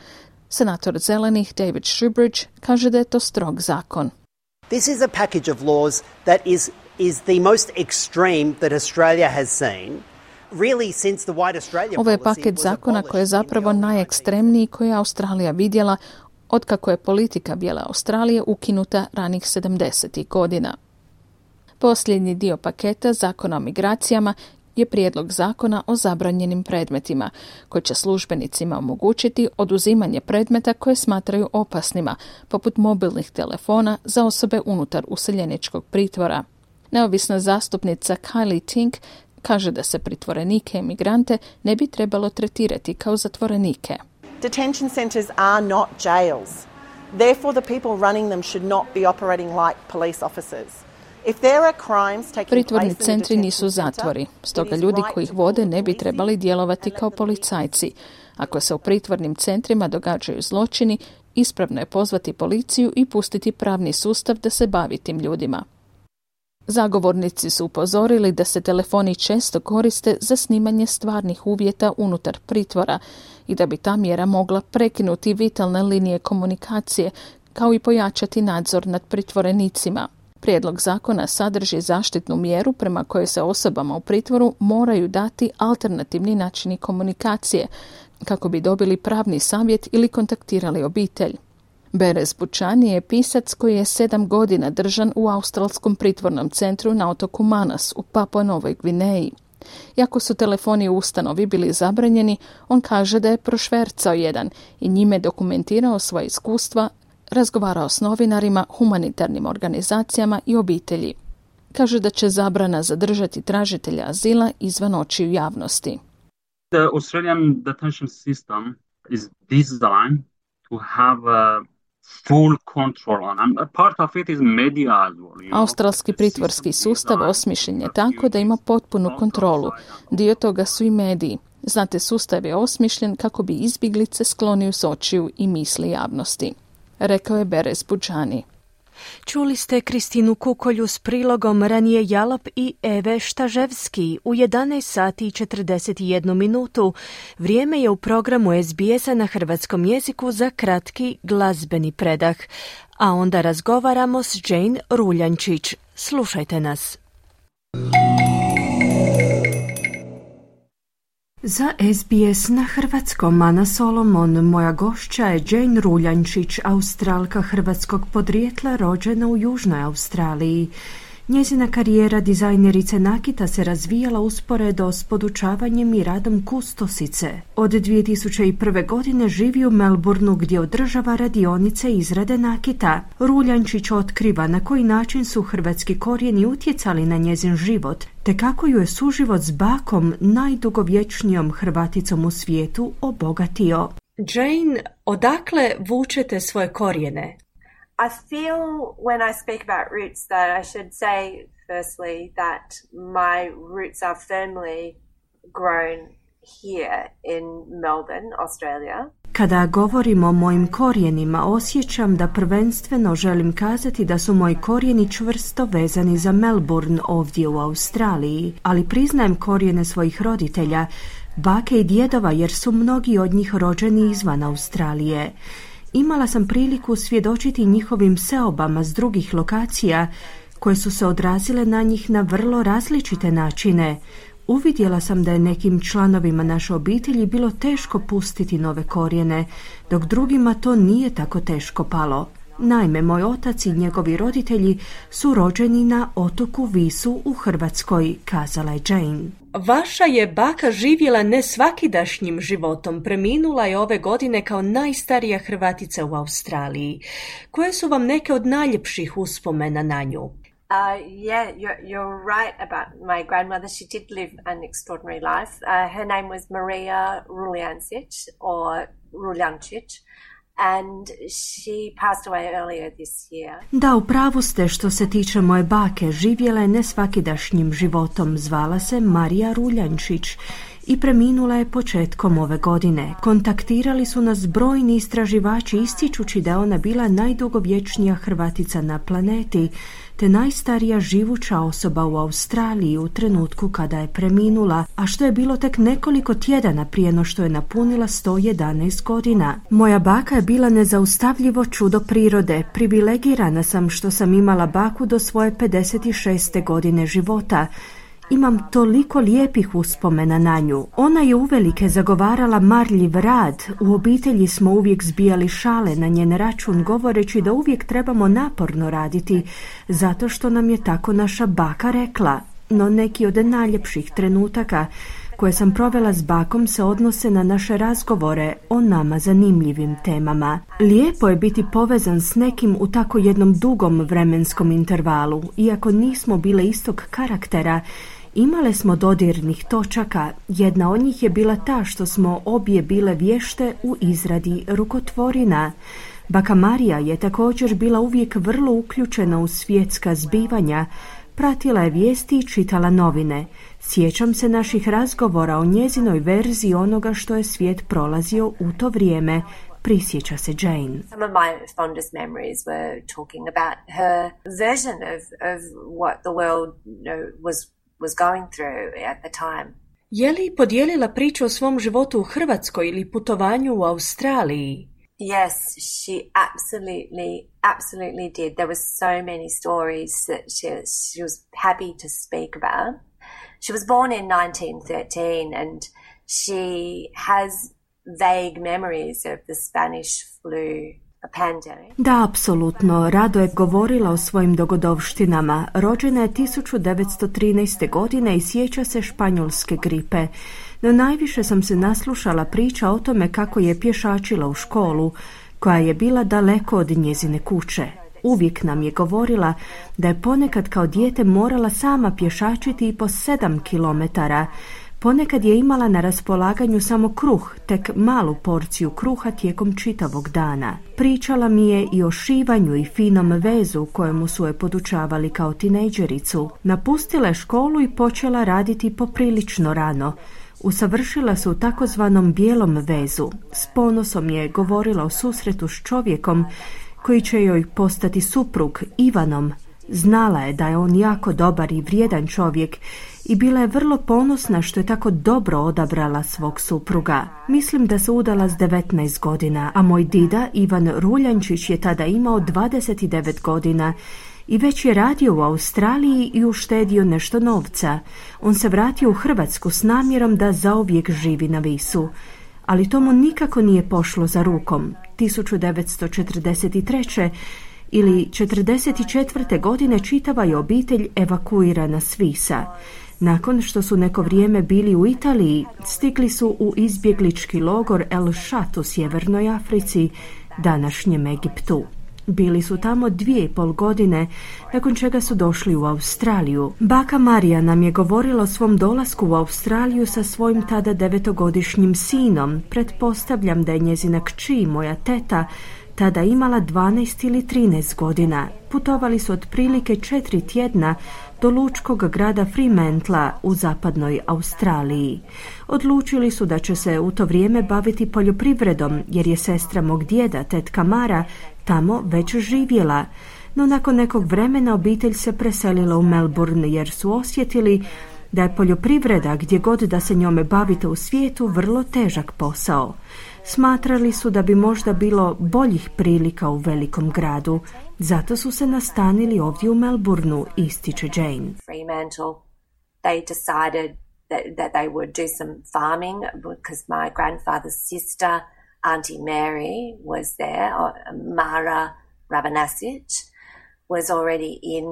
Speaker 3: Senator Zelenih David Shoebridge kaže da je to strog zakon.
Speaker 6: This is a package of laws that is the most extreme that Australia has seen.
Speaker 3: Ovo je paket zakona koji je zapravo najekstremniji koji je Australija vidjela otkako je politika Bijele Australije ukinuta ranih 70. godina. Posljednji dio paketa zakona o migracijama je prijedlog zakona o zabranjenim predmetima, koji će službenicima omogućiti oduzimanje predmeta koje smatraju opasnima, poput mobilnih telefona za osobe unutar useljeničkog pritvora. Neovisna zastupnica Kylie Tink kaže da se pritvorenike i migrante ne bi trebalo tretirati kao zatvorenike.
Speaker 7: Detention centres are not jails. Therefore the people running them should not be operating like police officers.
Speaker 3: Pritvorni centri nisu zatvori, stoga ljudi koji ih vode ne bi trebali djelovati kao policajci. Ako se u pritvornim centrima događaju zločini, ispravno je pozvati policiju i pustiti pravni sustav da se bavi tim ljudima. Zagovornici su upozorili da se telefoni često koriste za snimanje stvarnih uvjeta unutar pritvora i da bi ta mjera mogla prekinuti vitalne linije komunikacije, kao i pojačati nadzor nad pritvorenicima. Prijedlog zakona sadrži zaštitnu mjeru prema kojoj se osobama u pritvoru moraju dati alternativni načini komunikacije kako bi dobili pravni savjet ili kontaktirali obitelj. Beres Bučani je pisac koji je 7 godina držan u australskom pritvornom centru na otoku Manas u Papua Novoj Gvineji. Iako su telefoni u ustanovi bili zabranjeni, on kaže da je prošvercao jedan i njime dokumentirao svoje iskustva, razgovarao s novinarima, humanitarnim organizacijama i obitelji. Kaže da će zabrana zadržati tražitelja azila izvan očiju javnosti.
Speaker 24: The Australian detention system is designed to have full control on, and part of it is media as well.
Speaker 3: Australski pritvorski sustav osmišljen je tako da ima potpunu kontrolu. Dio toga su i mediji. Znate, sustav je osmišljen kako bi izbjeglice sklonio s očiju i misli javnosti, rekao je Beres Bučani.
Speaker 1: Čuli ste Kristinu Kukolju s prilogom Ranije Jalap i Eve Štaževski u 11 sati i 41 minutu. Vrijeme je u programu SBS-a na hrvatskom jeziku za kratki glazbeni predah. A onda razgovaramo s Jane Ruljančić. Slušajte nas. Za SBS na hrvatskom Ana Solomon, moja gošća je Jane Ruljančić, Australka hrvatskog podrijetla rođena u Južnoj Australiji. Njezina karijera dizajnerice nakita se razvijala usporedo s podučavanjem i radom kustosice. Od 2001. godine živi u Melbourneu gdje održava radionice izrade nakita. Ruljančić otkriva na koji način su hrvatski korijeni utjecali na njezin život, te kako ju je suživot s bakom, najdugovječnijom Hrvaticom u svijetu, obogatio. Jane, odakle vučete svoje korijene?
Speaker 8: I feel when I speak about roots that I should say firstly that my roots are firmly grown here in Melbourne, Australia.
Speaker 1: Kada govorim o mojim korijenima, osjećam da prvenstveno želim kazati da su moji korijeni čvrsto vezani za Melbourne ovdje u Australiji, ali priznajem korijene svojih roditelja, bake i djedova, jer su mnogi od njih rođeni izvan Australije. Imala sam priliku svjedočiti njihovim seobama s drugih lokacija koje su se odrazile na njih na vrlo različite načine. Uvidjela sam da je nekim članovima naše obitelji bilo teško pustiti nove korijene, dok drugima to nije tako teško palo. Naime, moj otac i njegovi roditelji su rođeni na otoku Visu u Hrvatskoj, kazala je Jane. Vaša je baka živjela nesvakidašnjim životom. Preminula je ove godine kao najstarija Hrvatica u Australiji. Koje su vam neke od najljepših uspomena na nju?
Speaker 8: Yeah, you're right about my grandmother. She did live an extraordinary life. Her name was Maria Ruljancic or Ruljancic. And she passed away earlier this year.
Speaker 1: Da, upravu ste što se tiče moje bake. Živjela je nesvakidašnjim životom. Zvala se Marija Ruljančić i preminula je početkom ove godine. Kontaktirali su nas brojni istraživači ističući da je ona bila najdugovječnija Hrvatica na planeti, te najstarija živuća osoba u Australiji u trenutku kada je preminula, a što je bilo tek nekoliko tjedana prije no što je napunila 111 godina. Moja baka je bila nezaustavljivo čudo prirode. Privilegirana sam što sam imala baku do svoje 56. godine života. Imam toliko lijepih uspomena na nju. Ona je uvelike zagovarala marljiv rad. U obitelji smo uvijek zbijali šale na njen račun, govoreći da uvijek trebamo naporno raditi, zato što nam je tako naša baka rekla. No neki od najljepših trenutaka koje sam provela s bakom se odnose na naše razgovore o nama zanimljivim temama. Lijepo je biti povezan s nekim u tako jednom dugom vremenskom intervalu. Iako nismo bile istog karaktera, imale smo dodirnih točaka. Jedna od njih je bila ta što smo obje bile vješte u izradi rukotvorina. Baka Marija je također bila uvijek vrlo uključena u svjetska zbivanja, pratila je vijesti i čitala novine. Sjećam se naših razgovora o njezinoj verziji onoga što je svijet prolazio u to vrijeme, prisjeća se Jane.
Speaker 8: Some of my fondest memories were talking about her version of what the world was going through at the time.
Speaker 1: Je li podijelila priču o svom životu u Hrvatskoj ili putovanju u Australiji?
Speaker 8: Yes, she absolutely did. There were so many stories that she was happy to speak about. She was born in 1913 and she has vague memories of the Spanish flu pandemic.
Speaker 1: Da, apsolutno. Rado je govorila o svojim dogodovštinama. Rođena je 1913. godine i sjeća se španjolske gripe. No najviše sam se naslušala priča o tome kako je pješačila u školu, koja je bila daleko od njezine kuće. Uvijek nam je govorila da je ponekad kao dijete morala sama pješačiti i po 7 kilometara. Ponekad je imala na raspolaganju samo kruh, tek malu porciju kruha tijekom čitavog dana. Pričala mi je i o šivanju i finom vezu kojemu su je podučavali kao tinejdžericu. Napustila je školu i počela raditi poprilično rano. Usavršila se u takozvanom bijelom vezu. S ponosom je govorila o susretu s čovjekom koji će joj postati suprug, Ivanom. Znala je da je on jako dobar i vrijedan čovjek i bila je vrlo ponosna što je tako dobro odabrala svog supruga. Mislim da se udala s 19 godina, a moj dida Ivan Ruljančić je tada imao 29 godina i već je radio u Australiji i uštedio nešto novca. On se vratio u Hrvatsku s namjerom da zauvijek živi na Visu. Ali to mu nikako nije pošlo za rukom. 1943. ili 44. godine čitava je obitelj evakuirana s Visa. Nakon što su neko vrijeme bili u Italiji, stigli su u izbjeglički logor El Shat u Sjevernoj Africi, današnjem Egiptu. Bili su tamo 2,5 godine, nakon čega su došli u Australiju. Baka Marija nam je govorila o svom dolasku u Australiju sa svojim tada 9-godišnjim sinom. Pretpostavljam da je njezina kći, moja teta, tada imala 12 ili 13 godina. Putovali su otprilike 4 tjedna do lučkog grada Fremantle u zapadnoj Australiji. Odlučili su da će se u to vrijeme baviti poljoprivredom, jer je sestra mog djeda, tetka Mara, tamo već živjela. No nakon nekog vremena obitelj se preselila u Melbourne jer su osjetili da je poljoprivreda, gdje god da se njome bavite u svijetu, vrlo težak posao. Smatrali su da bi možda bilo boljih prilika u velikom gradu, zato su se nastanili ovdje u Melbourneu, ističe Jane.
Speaker 8: Fremantle, they decided that they would do some farming because my grandfather's sister, Auntie Mary, was there. Mara Rabanasic was already in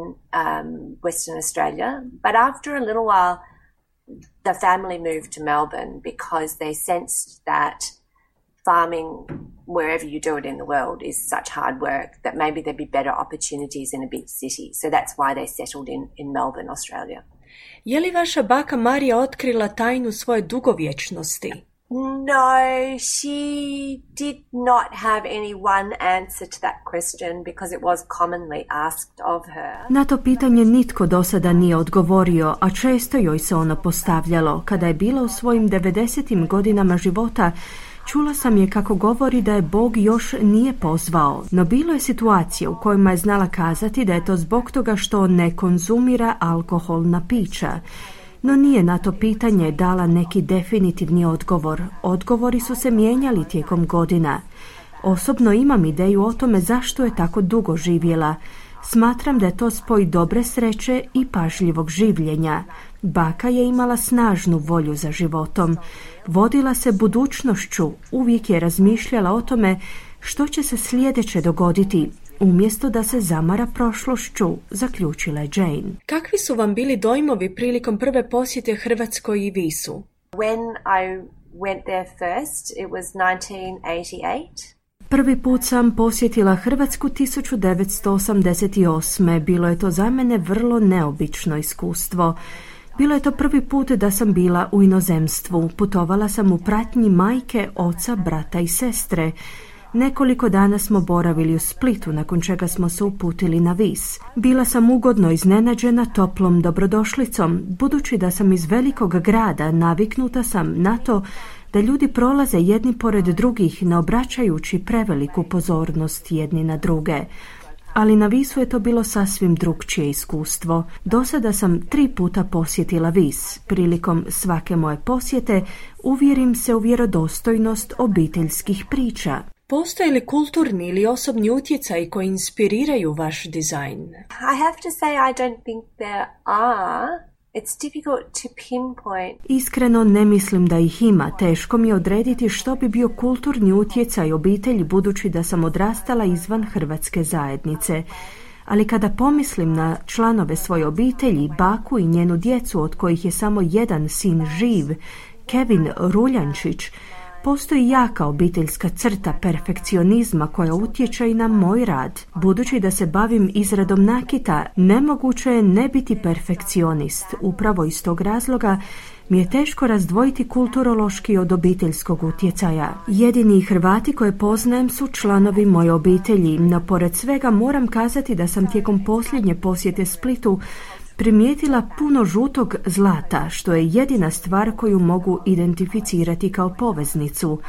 Speaker 8: Western Australia. But after a little while, the family moved to Melbourne because they sensed that farming, wherever you do it in the world, is such hard work that maybe there'd be better opportunities in a big city. So that's why they settled in Melbourne, Australia.
Speaker 1: Je li vaša baka Marija otkrila tajnu svoje dugovječnosti?
Speaker 8: No, she did not have any one answer to that question because it was commonly asked of her.
Speaker 1: Na to pitanje nitko do sada nije odgovorio, a često joj se ono postavljalo. Kada je bila u svojim 90. godinama života, čula sam je kako govori da je Bog još nije pozvao, no bilo je situacija u kojima je znala kazati da je to zbog toga što ne konzumira alkoholna pića. No nije na to pitanje dala neki definitivni odgovor. Odgovori su se mijenjali tijekom godina. Osobno imam ideju o tome zašto je tako dugo živjela. Smatram da je to spoj dobre sreće i pažljivog življenja. Baka je imala snažnu volju za životom. Vodila se budućnošću, uvijek je razmišljala o tome što će se sljedeće dogoditi, umjesto da se zamara prošlošću, zaključila je Jane. Kakvi su vam bili dojmovi prilikom prve posjete Hrvatskoj i Visu?
Speaker 8: When I went there first, it was 1988.
Speaker 1: Prvi put sam posjetila Hrvatsku 1988. Bilo je to za mene vrlo neobično iskustvo. Bilo je to prvi put da sam bila u inozemstvu. Putovala sam u pratnji majke, oca, brata i sestre. Nekoliko dana smo boravili u Splitu, nakon čega smo se uputili na Vis. Bila sam ugodno iznenađena toplom dobrodošlicom. Budući da sam iz velikog grada, naviknuta sam na to da ljudi prolaze jedni pored drugih, ne obraćajući preveliku pozornost jedni na druge. Ali na Visu je to bilo sasvim drukčije iskustvo. Do sada sam 3 puta posjetila Vis. Prilikom svake moje posjete uvjerim se u vjerodostojnost obiteljskih priča. Postoje li kulturni ili osobni utjecaji koji inspiriraju vaš dizajn?
Speaker 8: I have to say I don't think there are. It's difficult to pinpoint.
Speaker 1: Iskreno ne mislim da ih ima. Teško mi je odrediti što bi bio kulturni utjecaj obitelji, budući da sam odrastala izvan hrvatske zajednice. Ali kada pomislim na članove svoje obitelji, baku i njenu djecu, od kojih je samo jedan sin živ, Kevin Ruljančić, postoji jaka obiteljska crta perfekcionizma koja utječe i na moj rad. Budući da se bavim izradom nakita, nemoguće je ne biti perfekcionist. Upravo iz tog razloga mi je teško razdvojiti kulturološki od obiteljskog utjecaja. Jedini Hrvati koje poznajem su članovi moje obitelji, no pored svega moram kazati da sam tijekom posljednje posjete Splitu primijetila puno žutog zlata, što je jedina stvar koju mogu identificirati kao poveznicu.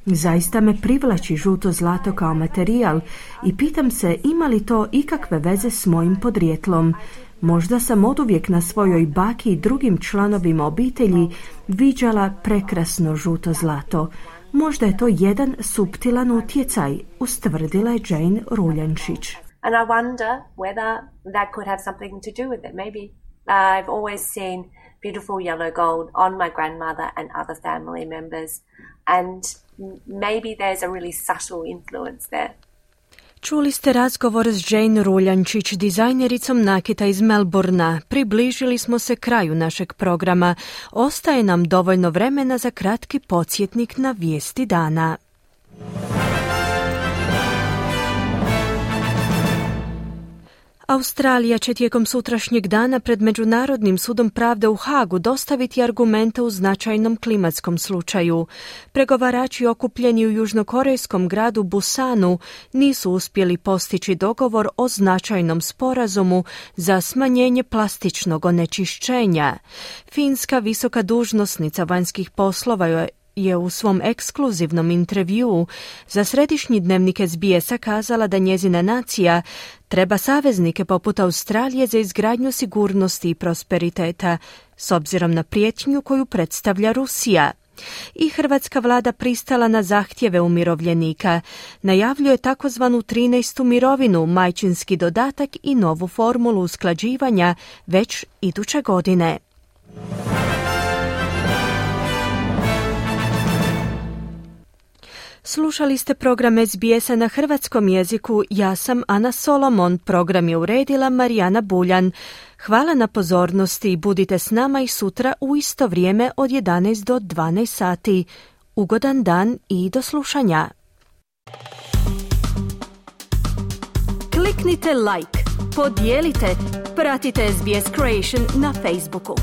Speaker 1: Zaista me privlači žuto zlato kao materijal i pitam se ima li to ikakve veze s mojim podrijetlom. Možda sam oduvijek na svojoj baki i drugim članovima obitelji viđala prekrasno žuto zlato. Možda je to jedan suptilan utjecaj, ustvrdila je Jane Ruljančić.
Speaker 8: And I wonder whether that could have something to do with it. Maybe I've always seen beautiful yellow gold on my grandmother and other family members, and maybe there's a really subtle influence there.
Speaker 1: Čuli ste razgovor s Jane Ruljančić, dizajnericom nakita iz Melbourna. Približili smo se kraju našeg programa. Ostaje nam dovoljno vremena za kratki podsjetnik na vijesti dana. Australija će tijekom sutrašnjeg dana pred Međunarodnim sudom pravde u Hagu dostaviti argumente u značajnom klimatskom slučaju. Pregovarači okupljeni u južnokorejskom gradu Busanu nisu uspjeli postići dogovor o značajnom sporazumu za smanjenje plastičnog onečišćenja. Finska visoka dužnosnica vanjskih poslova je u svom ekskluzivnom intervjuu za središnji dnevnik SBS-a kazala da njezina nacija treba saveznike poput Australije za izgradnju sigurnosti i prosperiteta, s obzirom na prijetnju koju predstavlja Rusija. I hrvatska vlada pristala na zahtjeve umirovljenika. Najavljuje takozvanu 13. mirovinu, majčinski dodatak i novu formulu usklađivanja već iduće godine. Slušali ste program SBS-a na hrvatskom jeziku. Ja sam Ana Solomon. Program je uredila Marijana Buljan. Hvala na pozornosti i budite s nama i sutra u isto vrijeme od 11 do 12 sati. Ugodan dan i do slušanja. Kliknite like, podijelite, pratite SBS Creation na Facebooku.